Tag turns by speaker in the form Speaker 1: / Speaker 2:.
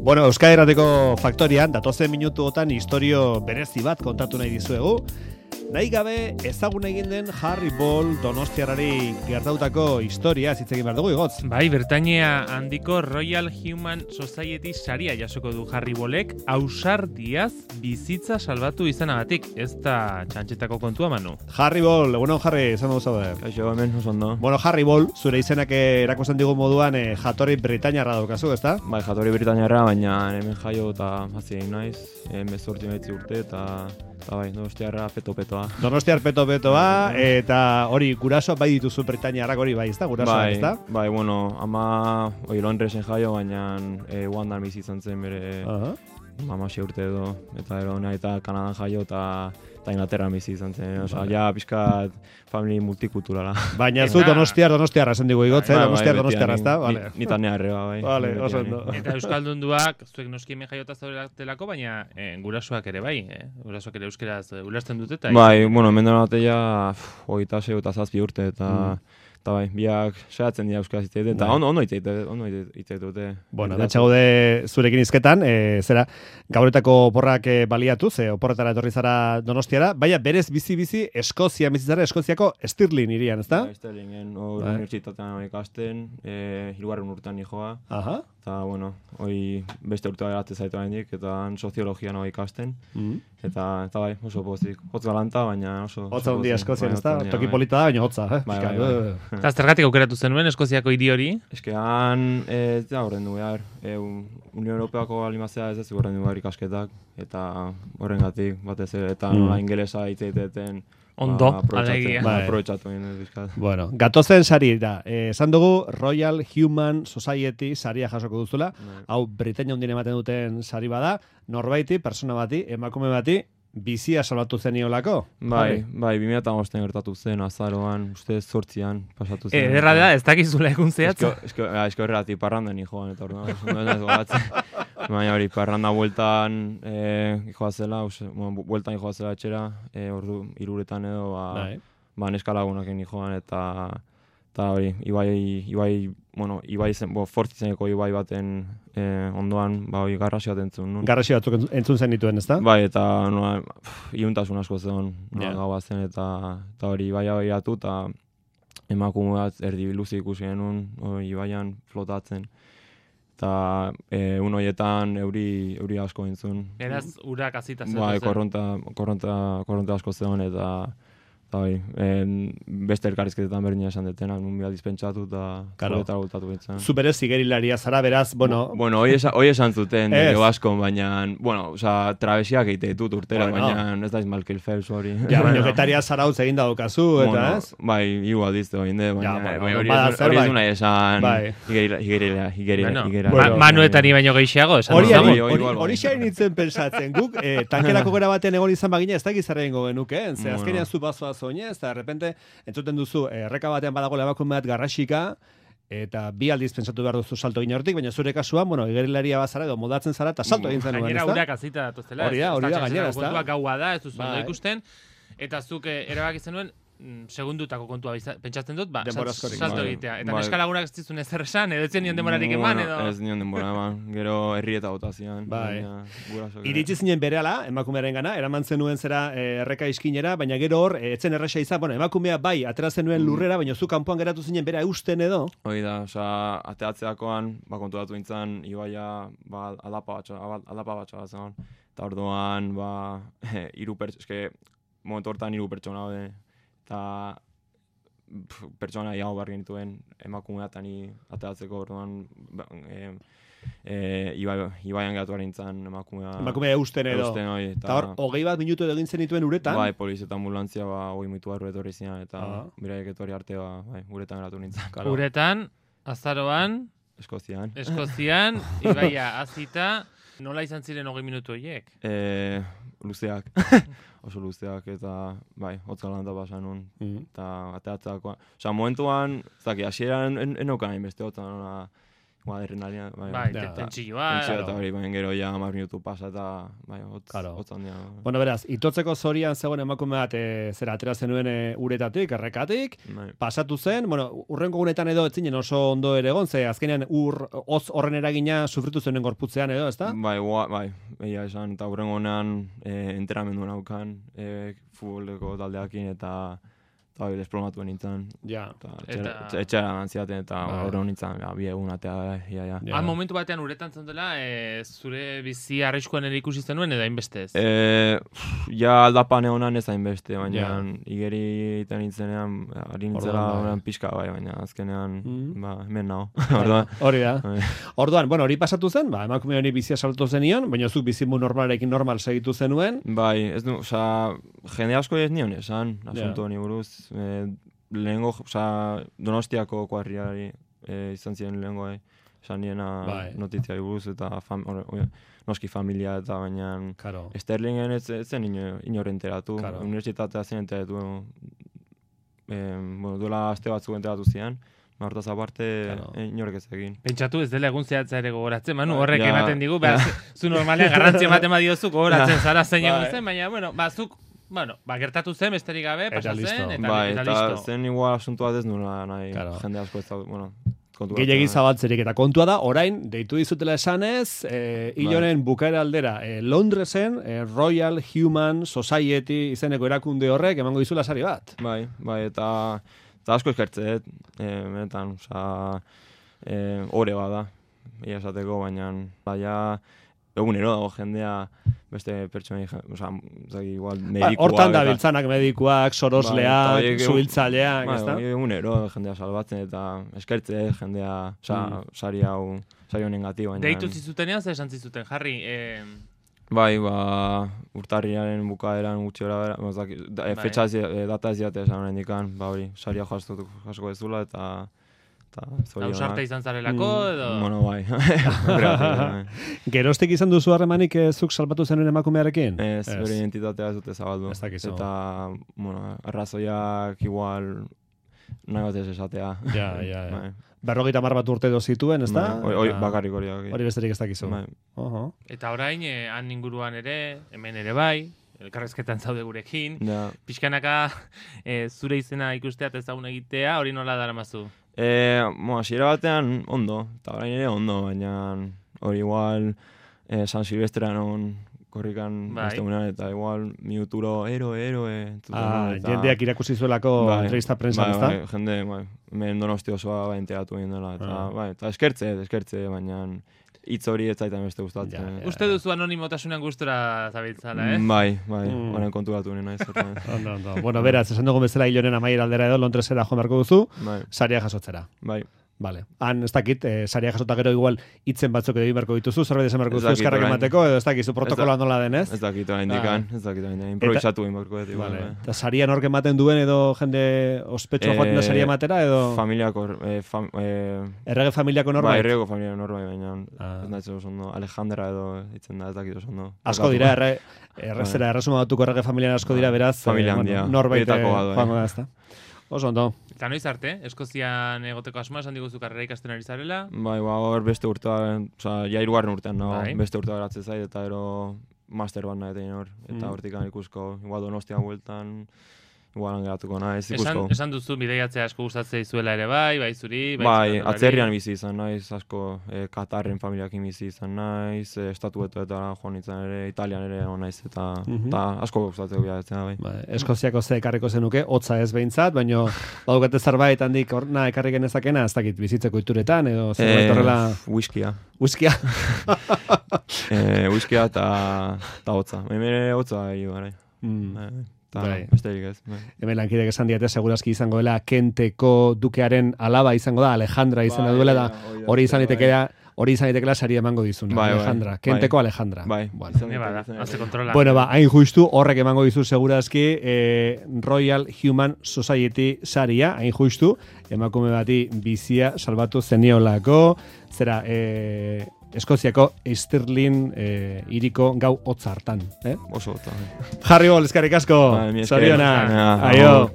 Speaker 1: Bueno, Euskadi Irratiko Faktorian, datozen minutuotan istorio berezi bat kontatu nahi dizuegu. Nahi gabe ezagun egin den Harry Ball Donostiarrari gertautako historia hitz egin behar dugu, Igotz.
Speaker 2: Bai, Britainia handiko Royal Human Society saria jasoko du Harry Ballek ausardiaz bizitza salbatu izanagatik. Ez da txantxetako kontua, Manu.
Speaker 1: Harry Ball, egunon Harry, esan dugu zaude.
Speaker 3: Kaixo, hemen, oso ondo.
Speaker 1: Bueno, Harry Ball, zure izenak erakusten digu moduan jatorri Britainiarra daukazu, ezta?
Speaker 3: Bai, jatorri Britainiarra, baina hemen jaio eta hazi egin naiz. 18 urte eta bai, Donostiarra peto-petoa.
Speaker 1: Donostiar peto-petoa, eta hori gurasoak bai dituzu Britainiarrak hori bai, ezta? Gurasoak, ezta?
Speaker 3: Bai, bueno, ama Londresen jaio, baina Ugandan bizi izan zen bere ama 6 urte edo, eta eta Kanadan jaio eta Inglaterran bizi izan zen. Osa, ja, pixkat famili multikulturala.
Speaker 1: Baina zu Donostiarra esan digu Igotz, Donostiarra, ezta?
Speaker 3: Nita neharreba, bai.
Speaker 1: Vale, oso ondo.
Speaker 2: Eta Euskaldunduak, zuek noski hemen jaiota zaudelako, baina gurasoak ere bai, gurasoak ere euskeraz ulertzen dute eta...
Speaker 3: Bai, bueno, hemen dara bateia 26 urte eta... Eta bai, biak saiatzen dira euskaraz hitz eta ondo hitz dute.
Speaker 1: Bueno, datxa gaude zurekin izketan, zera, gauretako oporrak baliatu, ze oporretara etorri zara Donostiara, baina berez bizi Eskozia bizitzara, Eskoziako Stirling irian, ezta?
Speaker 3: Bai, Stirlingen, unibertsitatean ikasten, 3. urtean nijoa.
Speaker 1: Aha.
Speaker 3: Eta, bueno, hoi beste urtea geratzen zaitu handik, eta soziologian hoi ikasten. Eta bai, oso pozik. Hotz galanta, baina oso...
Speaker 1: Hotza hundia Eskozian, ezta? Toki polita da, baina hotza,
Speaker 2: Eta zergatik aukeratu zenuen Eskoziako hiri hori?
Speaker 3: Eske han, ez da horren du behar. Unión Europeako alimazea ez horren du behar ikasketak. Eta horrengatik batez ere, eta nola ingelesa hitz egiteten...
Speaker 2: Ondo, alegia.
Speaker 3: Aprobetxatu egin dut.
Speaker 1: Bueno, gatozen sari da. Esan dugu Royal Human Society saria jasoko duzula. Hau Britainia hundien ematen duten sari bada. Norbaiti, persona bati, emakume bati, bizia salbatu zeniolako.
Speaker 3: Bai, 2005 gertatu zen, azaroan, uste 8an pasatu zen.
Speaker 2: Ederra da, ez dakizula egun zehatza.
Speaker 3: Esko errati parrandan joan, eta orduan, baina hori, parranda bueltan joazela, bueltan joazela etxera, ordu 3 uretan edo, neskalagunak egin joan, eta hori, Ibai zen, Fortitzeneko Ibai baten ondoan, hori garrasi bat entzun.
Speaker 1: Garrasi batzuk entzun zen dituen, ezta?
Speaker 3: Bai, eta iuntasun asko zen gaua zen, eta hori Ibaia behiratu, eta emakume bat erdi luzi ikusi genuen, Ibaian flotatzen. Eta horietan euri asko entzun.
Speaker 2: Eraz, urak azita zen.
Speaker 3: Bai, korronte asko zen, eta beste elkarrizketetan berdina esan detena, nun behar dispentsatu eta zuretara voltatu bintzen.
Speaker 1: Zu berez zigerilaria zara, beraz,
Speaker 3: bueno, hoi esan zuten, dugu asko, baina, bueno, travesiak egite ditut urtera, baina ez da Michael Phelps hori.
Speaker 1: Ja, baina getaria zarautz egin daukazu, eta ez?
Speaker 3: Bai, igual dizte hori, baina hori ez du nahi esan higuera.
Speaker 2: Manuetari baino gehiago, esan
Speaker 1: hori xain nintzen pensatzen, guk tankerako gara batean egon izan bagina ez da gizarra ingo genuke, ze azkenean zu bazoaz oinez, eta de repente entzuten duzu, erreka batean badago emakume bat garrasika, eta 2 aldiz pentsatu behar duzu salto egin hortik, baina zure kasuan, igerilaria bazara edo modatzen zara, eta salto egin zenuen,
Speaker 2: gainera urak azita datuztela.
Speaker 1: Hori da, gainera, ez da.
Speaker 2: Kontua gaua da, ez duzu ondo ikusten, eta zuk erabaki zenuen, segundutako kontua pentsatzen dut, salto egitea. Eta neskalagunak ez dizun ezer esan, edo etzen nion denborarik eman, edo...
Speaker 3: Ez nion denbora eman, gero herrieta botazian.
Speaker 1: Iritsi zinen berehala, emakumearen gana, eraman zenuen zera erreka iskinera, baina gero hor, etzen erresa izan, emakumea bai, atera zenuen lurrera, baina zu kanpoan geratu zinen bera eusten edo?
Speaker 3: Hoi da, ateatzeakoan, konturatu nintzen, Ibaia, aldapa batxa zen, eta orduan, momentu hortan 3 pertsona hode, eta pertsona iago behar genituen emakumea eta ni ateatzeko orduan Ibaian geratu nintzen emakumea...
Speaker 1: Emakumea eusten edo. Eta hor, 20 minutu edo egin zenituen uretan?
Speaker 3: Bai, poliz eta ambulantzia 20 minutu barru etorri zinan, eta beraik etorri arte uretan geratu nintzen.
Speaker 2: Uretan, azaroan...
Speaker 3: Eskozian,
Speaker 2: Ibaia azita... Nola izan ziren 20 minutu horiek?
Speaker 3: Luzeak. Oso luzeak eta, hotz galanta pasan nun. Eta ateatzeakoan. Osa, momentuan, hasieran enokan hainbeste hotza, adrenalina,
Speaker 2: bai, tentsioa.
Speaker 3: Eta hori, baina gero ja 10 minutu pasa eta bai, hotz handia.
Speaker 1: Bueno, beraz, itotzeko zorian zegoen emakume bat zera atera zenuen uretatik, errekatik, pasatu zen, bueno, urrengo gunetan edo etzinen oso ondo ere egon, ze azkenean hotz horren eragina sufritu zuen gorputzean edo, ezta?
Speaker 3: Bai, egia esan, eta urrengo honean enteramendu naukan, futboleko taldeakin eta desplomatu nintzen.
Speaker 1: Ja.
Speaker 3: Etxera gantziaten eta horre nintzen, bi egun atea.
Speaker 2: Han momentu batean uretan zendela, zure bizi arriskuan ere ikusi zenuen edo hainbeste ez?
Speaker 3: Ja aldapan egonan ez hainbeste, baina igeri iten nintzenean, ari nintzela pixka bai, baina azkenean, hemen nago.
Speaker 1: Hori da. Orduan, bueno, hori pasatu zen, emakume honi bizia saltu zenion, baina zuk bizimu normalarekin normal segitu zenuen.
Speaker 3: Bai, ez du, jende asko ez nion esan, asunto honi buruz. Lehengo, Donostiako kuarriari izan ziren lehengo esan niena notitziari buruz eta noski familia eta baina Sterlingen ez zen inor enteratu, universitatea zen enteratu, duela aste batzuk enteratu zian, hortaz aparte inorek ez egin.
Speaker 2: Pentsatu ez dela egun zehatza ere gogoratzen, Manu, horrek ematen digu, zu normalean garrantzi ematen badiozu gogoratzen zara zein egun zen, baina, zuk gertatu zen, besterik gabe, pasa zen, eta listo.
Speaker 3: Eta zen igual asuntu bat ez nula nahi, jende asko ez da,
Speaker 1: gehiagi zabaltzerik, eta kontua da, orain, deitu dizutela esanez, hilonen bukaera aldera, Londresen, Royal Human Society izeneko erakunde horrek emango dizula sari bat.
Speaker 3: Bai, eta asko eskertzeet, benetan, ore bada, ia esateko, baina, egunero dago jendea beste pertsonei, igual medikuak.
Speaker 1: Hortan da biltzanak medikuak, sorosleak, zuhiltzaileak, ezta?
Speaker 3: Egunero jendea salbatzen eta eskertze jendea, sari honengatik.
Speaker 2: Deitu zizutenean, zer esan zizuten, Jarri?
Speaker 3: Bai, urtarriaren bukaeran gutxi hori, fetxa data ez diate esan horren dikan, hori, saria jasko ez dula eta
Speaker 2: ausarte izan zarelako, edo?
Speaker 3: Bueno, bai.
Speaker 1: Geroztik izan duzu harremanik zuk salbatu zenuen emakumearekin?
Speaker 3: Ez, bere identitatea ez dute zabaldu.
Speaker 1: Ez dakizu.
Speaker 3: Eta, arrazoiak igual nahi bat ez esatea.
Speaker 1: Ja. 50 bat urte edo zituen, ez da?
Speaker 3: Bakarrik hori.
Speaker 1: Hori besterik ez dakizu.
Speaker 2: Eta orain, han inguruan ere, hemen ere bai, elkarrezketan zaude gurekin, pixkanaka zure izena ikustea eta ezagun egitea, hori nola daramazu?
Speaker 3: Hasiera batean ondo, eta orain ere ondo, baina hori igual San Silvestrean korrikan beste gunean, eta igual minuturo
Speaker 1: jendeak irakusi zuelako entrevista prensan, ez da?
Speaker 3: Jende, hemen Donosti osoa enteratu egin dela, eta eskertze, baina hitz hori ez zaitan beste gustatzen.
Speaker 2: Uste duzu anonimotasunean gustora zabiltzala,
Speaker 3: Bai, horren konturatu nena ez.
Speaker 1: Ondo. Bueno, beraz, esan dugun bezala hilonen amaiera aldera edo Londresera joan beharko duzu, saria jasotzera.
Speaker 3: Bai.
Speaker 1: Vale. Han, ez dakit, saria jasota gero igual hitzen batzuk edo beharko dituzu, zerbait esan beharko duzu eskarrak emateko, edo ez dakizu protokoloa nola denez?
Speaker 3: Ez dakit orain dikan, improvisatu egin beharko dut.
Speaker 1: Eta saria nork ematen duen edo jende ospetsua joaten da saria ematera, edo?
Speaker 3: Familiako,
Speaker 1: errege familiako norbait?
Speaker 3: Errege familiako norbait, baina ez nahi oso ondo, Alejandra edo hitzen da, ez dakit oso ondo.
Speaker 1: Asko dira, erresuma batuko errege familian asko dira, beraz, norbait joango da, ez da? Oso ondo.
Speaker 2: Eta noiz arte, Eskozian egoteko asmoa, esan diguzu karrera ikasten ari zarela?
Speaker 3: Bai, hor beste urtean, ja 3. urtean, beste urtea geratzen zait, eta ero master bat nahi hor, eta hortikan ikusko, igual Donostian bueltan, igual geratuko naiz, ikusko.
Speaker 2: Esan duzu, bideiatzea asko gustatzea izuela ere bai zuri?
Speaker 3: Bai, atzerrian bizi izan naiz, asko Katarren familiakin bizi izan naiz, estatuetuetara joan izan ere, Italian ere hon naiz, eta asko gustatzea bilatzen bai.
Speaker 1: Eskoziako ze ekarriko zenuke, hotza ez behintzat, baina badukate zerbait handik horna ekarri genezakena, ez dakit bizitzeko ituretan, edo zerbait horrela...
Speaker 3: Whiskia.
Speaker 1: Whiskia?
Speaker 3: Whiskia eta hotza. Hemen hotza egin gara. Besterik ez.
Speaker 1: Hemen lankidek esan diate, segurazki izango dela Kenteko dukearen alaba izango da, Alejandra izena duela da, hori izan ditekela saria emango dizuna, Alejandra, Kenteko Alejandra. Bueno, hain justu, horrek emango dizu segurazki Royal Human Society saria, hain justu, emakume bati bizia salbatu zeniolako, zera, Eskoziako Stirling hiriko gau hotz hartan.
Speaker 3: Oso hotza.
Speaker 1: Jarri bol, eskerrik asko. Zorionak. Aio.